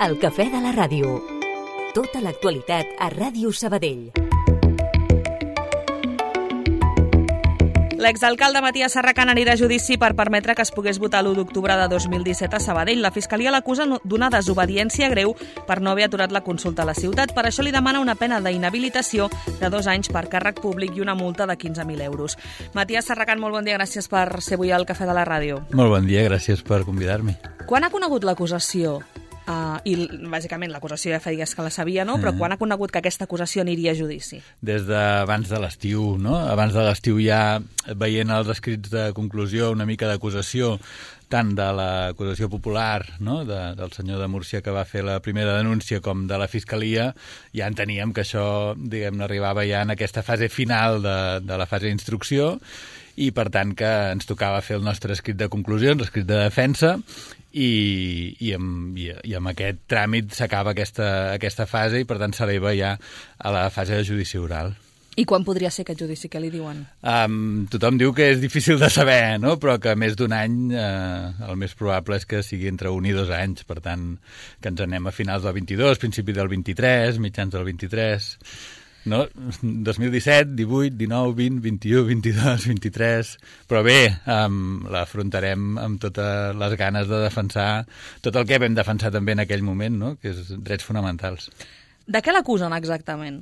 El cafè de la ràdio. Tota l'actualitat a Ràdio Sabadell. L'exalcalde Matías Serracant anirà a judici per permetre que es pogués votar l'1 d'octubre de 2017 a Sabadell. La Fiscalia l'acusa d'una desobediència greu per no haver aturat la consulta a la ciutat. Per això li demana una pena d'inhabilitació de 2 anys per càrrec públic i una multa de 15.000 euros. Matías Serracant, molt bon dia, gràcies per ser avui al Cafè de la Ràdio. Molt bon dia, gràcies per convidar-me. Quan ha conegut l'acusació? I bàsicament l'acusació ja fa dies que la sabia, no? Però quan ha conegut que aquesta acusació aniria a judici? Des d'abans de l'estiu, no? Abans de l'estiu ja veient els escrits de conclusió, una mica d'acusació, tant de l'acusació popular, no? Del senyor de Múrcia que va fer la primera denúncia com de la Fiscalia, ja enteníem que això, diguem-ne, arribava ja en aquesta fase final de la fase d'instrucció i, per tant, que ens tocava fer el nostre escrit de conclusions, l'escrit de defensa, i amb aquest tràmit s'acaba aquesta fase i, per tant, s'eleva ja a la fase de judici oral. I quan podria ser aquest judici? Què li diuen? Tothom diu que és difícil de saber, no? Però que més d'un any el més probable és que sigui entre 1 i 2 anys. Per tant, que ens anem a finals del 22, principi del 23, mitjans del 23... No? 2017, 18, 19, 20, 21, 22, 23... Però bé, l'afrontarem amb totes les ganes de defensar tot el que vam defensar també en aquell moment, no? Que és drets fonamentals. De què l'acusen exactament?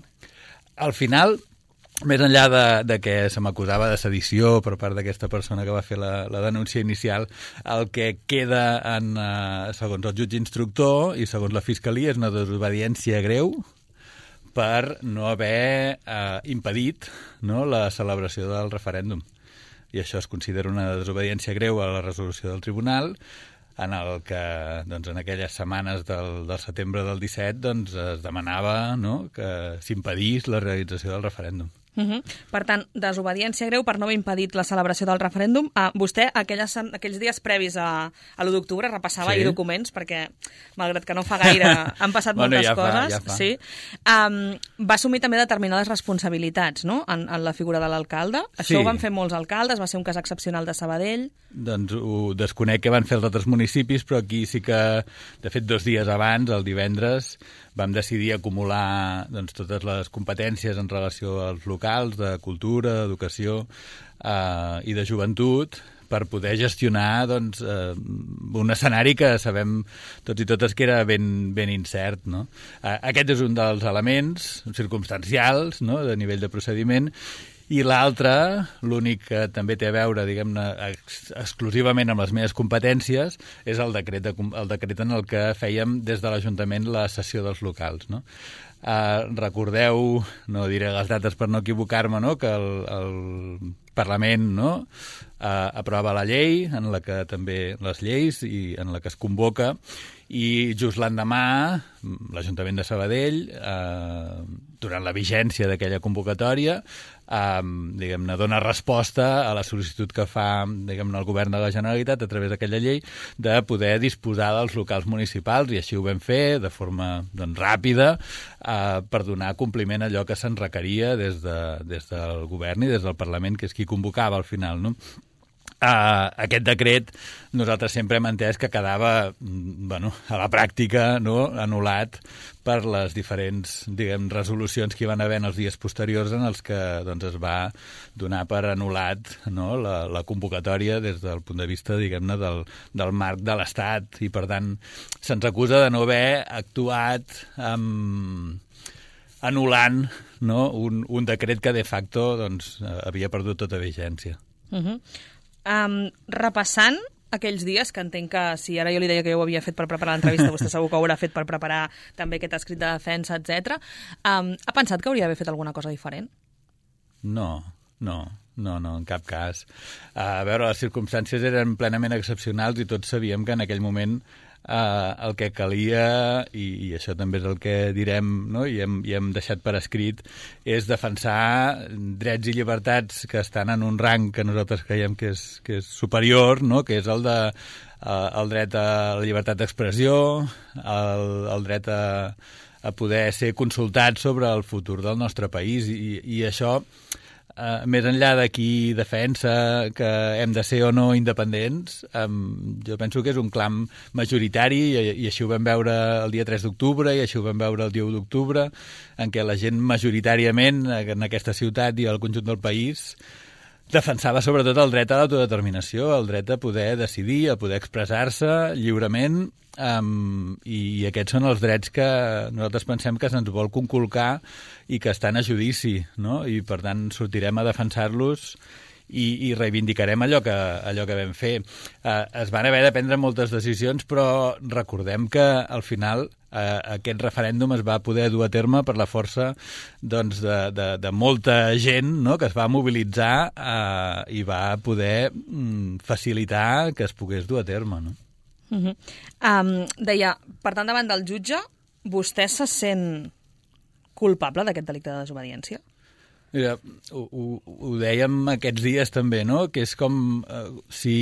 Al final, més enllà de que se m'acusava de sedició per part d'aquesta persona que va fer la denúncia inicial, el que queda segons el jutge instructor i segons la Fiscalia és una desobediència greu per no haver impedit, no, la celebració del referèndum. I això es considera una desobediència greu a la resolució del tribunal, en el que doncs, en aquelles setmanes del setembre del 17 doncs, es demanava, no, que s'impedís la realització del referèndum. Per tant, desobediència greu per no haver impedit la celebració del referèndum. Vostè, aquells dies previs a l'1 d'octubre, repassava ahir documents, perquè, malgrat que no fa gaire, han passat moltes coses. Ja fa. Sí. Va assumir també determinades responsabilitats, no?, en la figura de l'alcalde. Això ho van fer molts alcaldes, va ser un cas excepcional de Sabadell. Doncs ho desconec que van fer els altres municipis, però aquí sí que, de fet, 2 dies abans, el divendres, vam decidir acumular doncs, totes les competències en relació als locals de cultura, d'educació i de joventut per poder gestionar doncs, un escenari que sabem tots i totes que era ben incert. No? Aquest és un dels elements circumstancials, no?, de nivell de procediment. I l'altre, l'únic que també té a veure, diguem-ne, exclusivament amb les meves competències, és el decret en el que fèiem des de l'Ajuntament la cessió dels locals. No? Recordeu, no diré les dates per no equivocar-me, no?, que el Parlament, no?, aprova la llei, en la que també les lleis, i en la que es convoca, i just l'endemà l'Ajuntament de Sabadell, durant la vigència d'aquella convocatòria, diguem-ne, dona resposta a la sol·licitud que fa, diguem-ne, el govern de la Generalitat a través d'aquella llei de poder disposar dels locals municipals, i així ho vam fer de forma doncs, ràpida per donar compliment a allò que se'n requeria des del govern i des del Parlament, que és qui convocava al final, no? Aquest decret nosaltres sempre hem entès que quedava a la pràctica, no?, anul·lat per les diferents, diguem, resolucions que hi van haver en els dies posteriors en els que doncs, es va donar per anul·lat, no?, la convocatòria des del punt de vista, diguem-ne, del marc de l'Estat, i per tant se'ns acusa de no haver actuat anul·lant, no?, un decret que de facto doncs, havia perdut tota vigència. Repassant aquells dies, que entenc que si ara jo li deia que jo ho havia fet per preparar l'entrevista, vostè segur que ho haurà fet per preparar també aquest escrit de defensa, etc. Ha pensat que hauria d'haver fet alguna cosa diferent? No, en cap cas. A veure, les circumstàncies eren plenament excepcionals i tots sabíem que en aquell moment el que calia, i això també és el que direm, no?, i hem deixat per escrit, és defensar drets i llibertats que estan en un rang que nosaltres creiem que és superior, no?, que és el dret a la llibertat d'expressió, el dret a poder ser consultat sobre el futur del nostre país, i això més enllà de qui defensa que hem de ser o no independents, jo penso que és un clam majoritari i així ho vam veure el dia 3 d'octubre i així ho vam veure el dia 1 d'octubre, en què la gent majoritàriament en aquesta ciutat i al conjunt del país defensava sobretot el dret a l'autodeterminació, el dret a poder decidir, a poder expressar-se lliurement, i aquests són els drets que nosaltres pensem que se'ns vol conculcar i que estan a judici, no? I per tant sortirem a defensar-los i reivindicarem allò que vam fer. Es van haver de prendre moltes decisions, però recordem que al final aquest referèndum es va poder dur a terme per la força doncs, de molta gent, no?, que es va mobilitzar i va poder facilitar que es pogués dur a terme, no? Deia, per tant, davant del jutge, vostè se sent culpable d'aquest delicte de desobediència? Mira, ho dèiem aquests dies també, no? Que és com si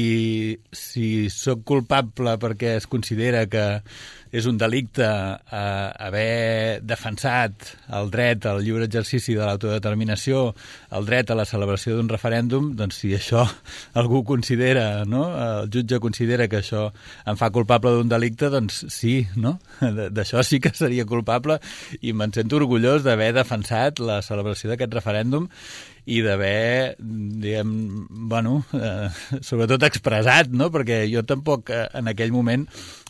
sóc culpable perquè es considera que és un delicte haver defensat el dret al lliure exercici de l'autodeterminació, el dret a la celebració d'un referèndum, doncs si això algú considera, no? El jutge considera que això em fa culpable d'un delicte, doncs sí, no? D'això sí que seria culpable i me'n sento orgullós d'haver defensat la celebració d'aquest referèndum i d'haver, diguem, bueno, sobretot expressat, no? Perquè jo tampoc en aquell moment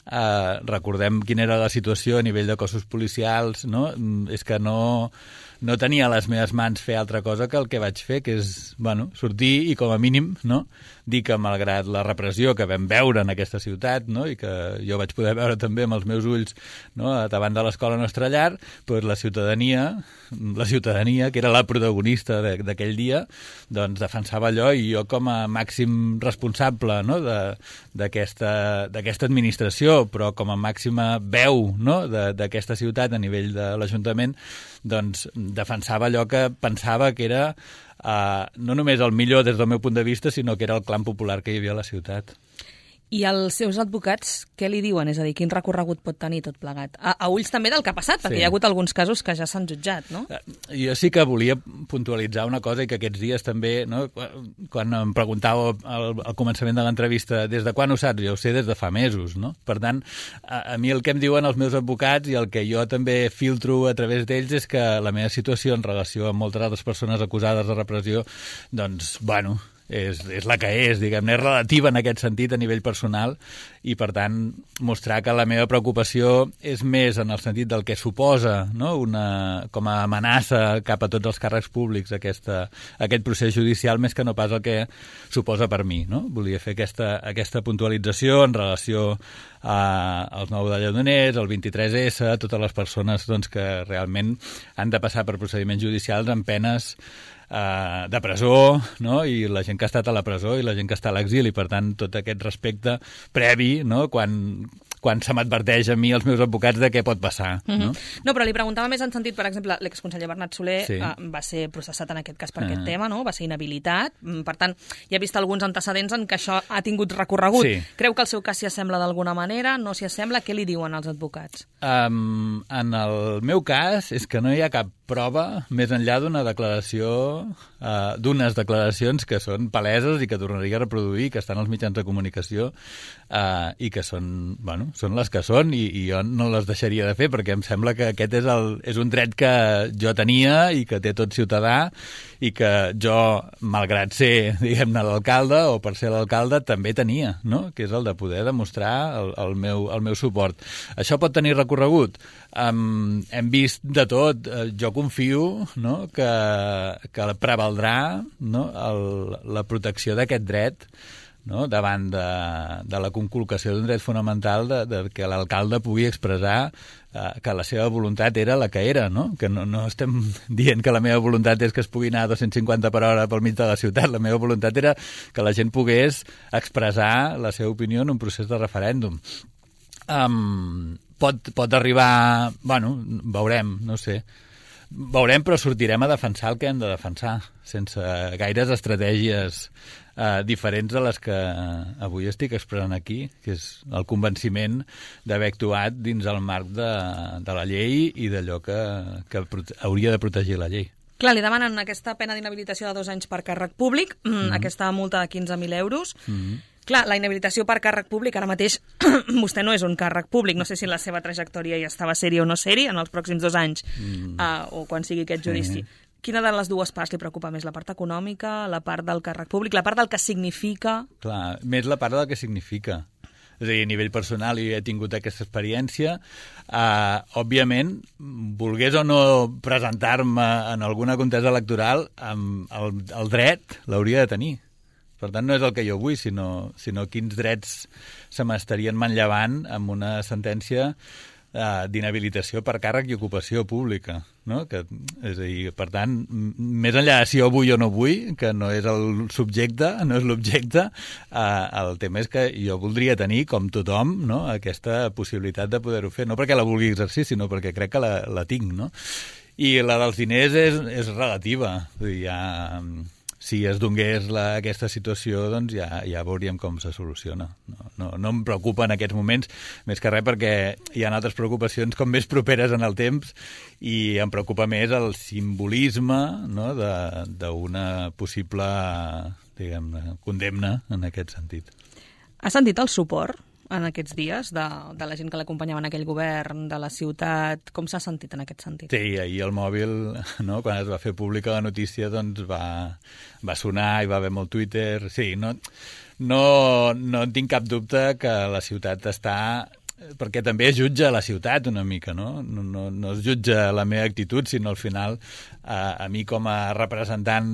recordem quina era la situació a nivell de cossos policials, no? És que no tenia a les meves mans fer altra cosa que el que vaig fer, que és, bueno, sortir i com a mínim, no?, dir que malgrat la repressió que vam veure en aquesta ciutat, no?, i que jo vaig poder veure també amb els meus ulls, no?, davant de l'escola Nostra Llar, doncs la ciutadania, que era la protagonista d'aquell dia, doncs defensava allò i jo com a màxim responsable, no?, d'aquesta administració, però com a màxima veu, no?, d'aquesta ciutat a nivell de l'Ajuntament, doncs defensava allò que pensava que era no només el millor des del meu punt de vista, sinó que era el clam popular que hi havia a la ciutat. I els seus advocats, què li diuen? És a dir, quin recorregut pot tenir tot plegat? A ulls també del que ha passat, perquè hi ha hagut alguns casos que ja s'han jutjat, no? Jo sí que volia puntualitzar una cosa i que aquests dies també, no, quan em preguntàveu al començament de l'entrevista des de quan ho saps? Jo ho sé des de fa mesos, no? Per tant, a mi el que em diuen els meus advocats i el que jo també filtro a través d'ells és que la meva situació en relació amb moltes altres persones acusades de repressió, doncs, bueno, és la que és, diguem-ne, és relativa en aquest sentit a nivell personal i, per tant, mostrar que la meva preocupació és més en el sentit del que suposa, no?, com a amenaça cap a tots els càrrecs públics aquest procés judicial més que no pas el que suposa per mi, no? Volia fer aquesta puntualització en relació als 9 de Lledoners, al 23S, totes les persones doncs, que realment han de passar per procediments judicials amb penes de presó, no?, i la gent que ha estat a la presó i la gent que està a l'exili. Per tant, tot aquest respecte previ, no?, quan se m'adverteix a mi, els meus advocats, de què pot passar. No? No, però li preguntava més en sentit, per exemple, l'exconseller Bernat Soler va ser processat en aquest cas per aquest tema, no? Va ser inhabilitat. Per tant, ja he vist alguns antecedents en què això ha tingut recorregut. Sí. Creu que el seu cas s'hi assembla d'alguna manera? No s'hi assembla? Què li diuen els advocats? En el meu cas és que no hi ha cap prova més enllà d'una declaració, d'unes declaracions que són paleses i que tornaria a reproduir, que estan als mitjans de comunicació i que són, bueno, són les que són i jo no les deixaria de fer perquè em sembla que aquest és un dret que jo tenia i que té tot ciutadà i que jo, malgrat ser, diguem-ne, l'alcalde o per ser l'alcalde, també tenia, no?, que és el de poder demostrar el meu suport. Això pot tenir recorregut? Hem vist de tot. Jo confio, no?, que prevaldrà, no?, la protecció d'aquest dret, no?, davant de la conculcació d'un dret fonamental de que l'alcalde pugui expressar que la seva voluntat era la que era, no? Que no estem dient que la meva voluntat és que es pugui anar a 250 per hora pel mig de la ciutat. La meva voluntat era que la gent pogués expressar la seva opinió en un procés de referèndum. Pot arribar... Bueno, veurem, no sé. Veurem, però sortirem a defensar el que hem de defensar, sense gaires estratègies diferents de les que avui estic expressant aquí, que és el convenciment d'haver actuat dins el marc de la llei i d'allò que hauria de protegir la llei. Clar, li demanen aquesta pena d'inhabilitació de 2 anys per càrrec públic, aquesta multa de 15.000 euros. Clar, la inhabilitació per càrrec públic, ara mateix vostè no és un càrrec públic, no sé si la seva trajectòria ja estava sèria o no sèria en els pròxims 2 anys, o quan sigui aquest judici. Quina de les dues parts li preocupa més? La part econòmica, la part del càrrec públic, la part del que significa? Clar, més la part del que significa. És a dir, a nivell personal he tingut aquesta experiència. Òbviament, volgués o no presentar-me en alguna contesa electoral, el dret l'hauria de tenir. Per tant, no és el que jo vull, sinó quins drets se m'estarien manllevant amb una sentència d'inhabilitació per càrrec i ocupació pública, no? És a dir, per tant, més enllà de si jo vull o no vull, que no és el subjecte, no és l'objecte, el tema és que jo voldria tenir, com tothom, no? Aquesta possibilitat de poder-ho fer, no perquè la vulgui exercir, sinó perquè crec que la tinc, no? I la dels diners és relativa, vull dir, si es donés aquesta situació, doncs ja veuríem com se soluciona. No em preocupa en aquests moments, més que res perquè hi ha altres preocupacions com més properes en el temps i em preocupa més el simbolisme, no, d'una possible, diguem-ne, condemna en aquest sentit. Ha sentit el suport en aquests dies de la gent que l'acompanyava en aquell govern, de la ciutat? Com s'ha sentit en aquest sentit? Sí, ahir el mòbil, no, quan es va fer pública la notícia, doncs va sonar, hi va haver molt Twitter. Sí, no tinc cap dubte que la ciutat està... perquè també es jutja la ciutat una mica, no? No es jutja la meva actitud, sinó al final a mi com a representant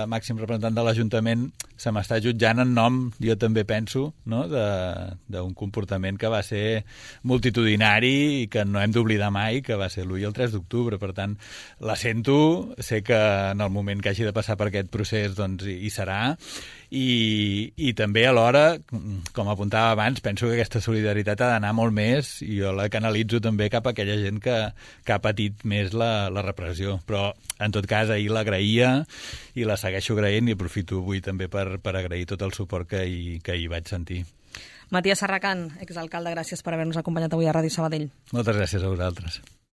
màxim representant de l'Ajuntament se m'està jutjant en nom, jo també penso, no? d'un comportament que va ser multitudinari i que no hem d'oblidar mai, que va ser l'1 i el 3 d'octubre. Per tant, la sento, sé que en el moment que hagi de passar per aquest procés doncs hi serà, i també alhora, com apuntava abans, penso que aquesta solidaritat ha d'anar molt més, i jo la canalitzo també cap a aquella gent que ha patit més la repressió. Però, en tot cas, ahir l'agraïa i la segueixo agraint, i aprofito avui també per agrair tot el suport que hi vaig sentir. Matías Serracant, exalcalde, gràcies per haver-nos acompanyat avui a Ràdio Sabadell. Moltes gràcies a vosaltres.